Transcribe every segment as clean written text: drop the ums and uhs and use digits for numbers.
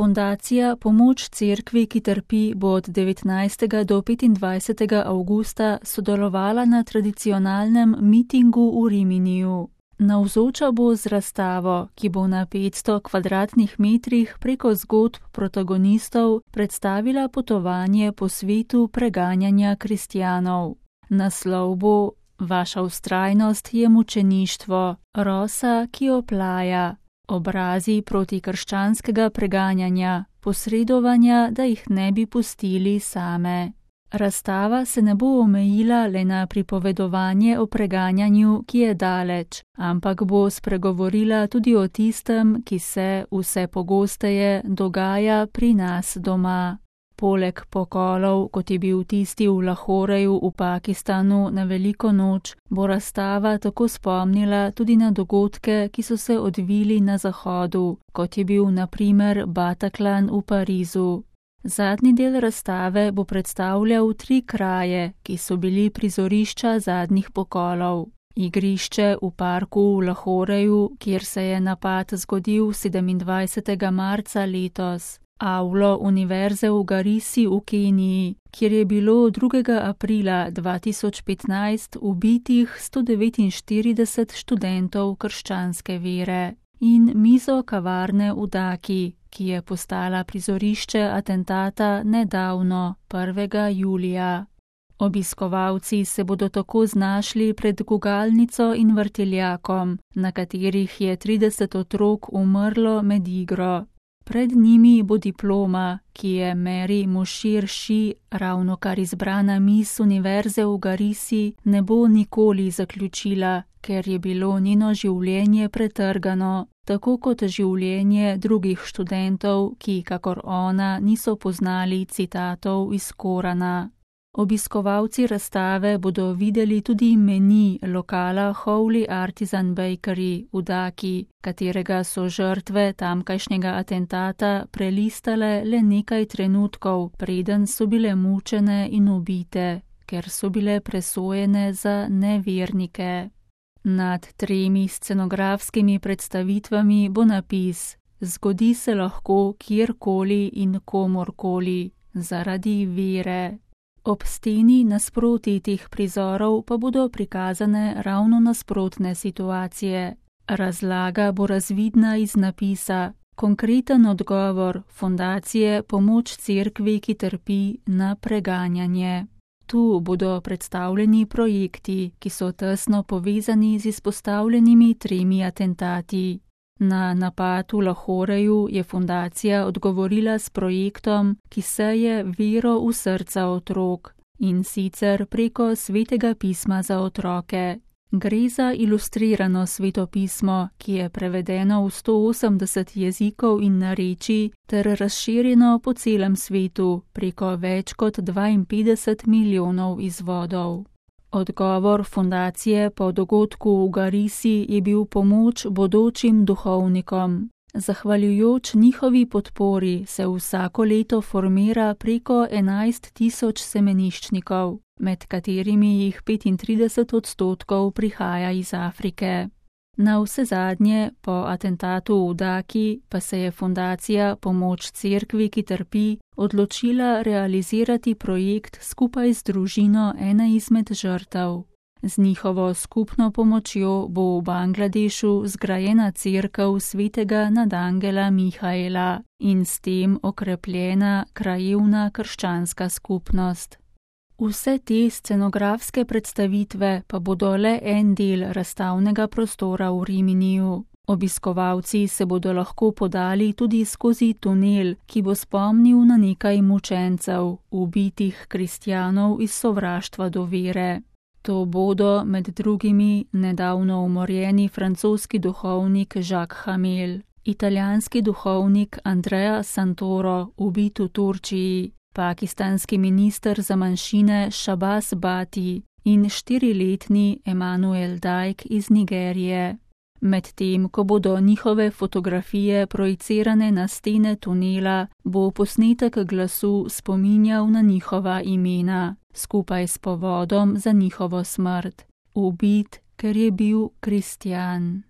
Fundacija Pomoč cerkvi, ki trpi, bo od 19. do 25. avgusta sodelovala na tradicionalnem mitingu v Riminiju. Navzoča bo z razstavo, ki bo na 500 kvadratnih metrih preko zgodb protagonistov predstavila potovanje po svetu preganjanja kristjanov. Naslov bo Vaša vztrajnost je mučeništvo, rosa, ki oplaja, obrazi protikrščanskega preganjanja, posredovanja, da jih ne bi pustili same. Razstava se ne bo omejila le na pripovedovanje o preganjanju, ki je daleč, ampak bo spregovorila tudi o tistem, ki se vse pogosteje dogaja pri nas doma. Poleg pokolov, kot je bil tisti v Lahoreju v Pakistanu na veliko noč, bo razstava tako spomnila tudi na dogodke, ki so se odvili na zahodu, kot je bil na primer Bataclan v Parizu. Zadnji del razstave bo predstavljal 3 kraje, ki so bili prizorišča zadnjih pokolov. Igrišče v parku v Lahoreju, kjer se je napad zgodil 27. marca letos. Avlo Univerze v Garisi v Keniji, kjer je bilo 2. aprila 2015 ubitih 149 študentov krščanske vere. In mizo kavarne v Daki, ki je postala prizorišče atentata nedavno, 1. julija. Obiskovalci se bodo tako znašli pred gugalnico in vrtiljakom, na katerih je 30 otrok umrlo med igro. Pred njimi bo diploma, ki je Mary Moshir Shi, ravnokar izbrana mis Univerze v Garisi, ne bo nikoli zaključila, ker je bilo njeno življenje pretrgano, tako kot življenje drugih študentov, ki, kakor ona, niso poznali citatov iz Korana. Obiskovalci razstave bodo videli tudi meni lokala Holy Artisan Bakery v Daki, katerega so žrtve tamkajšnjega atentata prelistale le nekaj trenutkov, preden so bile mučene in ubite, ker so bile presojene za nevernike. Nad 3 scenografskimi predstavitvami bo napis: Zgodi se lahko kjerkoli in komorkoli, zaradi vere. Ob steni nasproti teh prizorov pa bodo prikazane ravno nasprotne situacije. Razlaga bo razvidna iz napisa, konkreten odgovor Fundacije Pomoč cerkvi, ki trpi, na preganjanje. Tu bodo predstavljeni projekti, ki so tesno povezani z izpostavljenimi 3 atentati. Na napad v Lahoreju je fundacija odgovorila s projektom, ki seje vero v srca otrok, in sicer preko Svetega pisma za otroke. Gre za ilustrirano svetopismo, ki je prevedeno v 180 jezikov in narečij ter razširjeno po celem svetu preko več kot 52 milijonov izvodov. Odgovor fundacije po dogodku v Garisi je bil pomoč bodočim duhovnikom. Zahvaljujoč njihovi podpori se vsako leto formira preko 11.000 semeniščnikov, med katerimi jih 35% prihaja iz Afrike. Navsezadnje, po atentatu v Daki, pa se je Fundacija Pomoč cerkvi, ki trpi, odločila realizirati projekt skupaj z družino ene izmed žrtev. Z njihovo skupno pomočjo bo v Bangladešu zgrajena cerkev svetega nadangela Mihaela in s tem okrepljena krajevna krščanska skupnost. Vse te scenografske predstavitve pa bodo le en del razstavnega prostora v Riminiju. Obiskovalci se bodo lahko podali tudi skozi tunel, ki bo spomnil na nekaj mučencev, ubitih kristjanov iz sovraštva do vere. To bodo med drugimi nedavno umorjeni francoski duhovnik Jacques Hamel, italijanski duhovnik Andrea Santoro, ubit v Turčiji, pakistanski minister za manjšine Shahbaz Bhatti in 4-letni Emanuel Dajk iz Nigerije. Medtem, ko bodo njihove fotografije projicirane na stene tunela, bo posnetek glasu spominjal na njihova imena, skupaj s povodom za njihovo smrt. Ubit, ker je bil kristjan.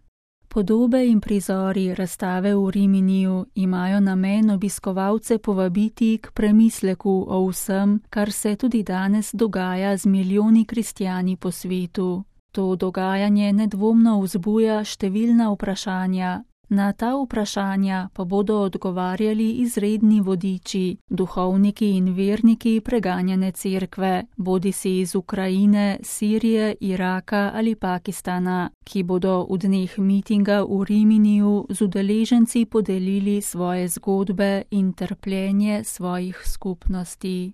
Podobe in prizori razstave v Riminiju imajo namen obiskovalce povabiti k premisleku o vsem, kar se tudi danes dogaja z milijoni kristjani po svetu. To dogajanje nedvomno vzbuja številna vprašanja. Na ta vprašanja pa bodo odgovarjali izredni vodiči, duhovniki in verniki preganjane cerkve, bodisi iz Ukrajine, Sirije, Iraka ali Pakistana, ki bodo v dneh mitinga v Riminiju z udeleženci podelili svoje zgodbe in trpljenje svojih skupnosti.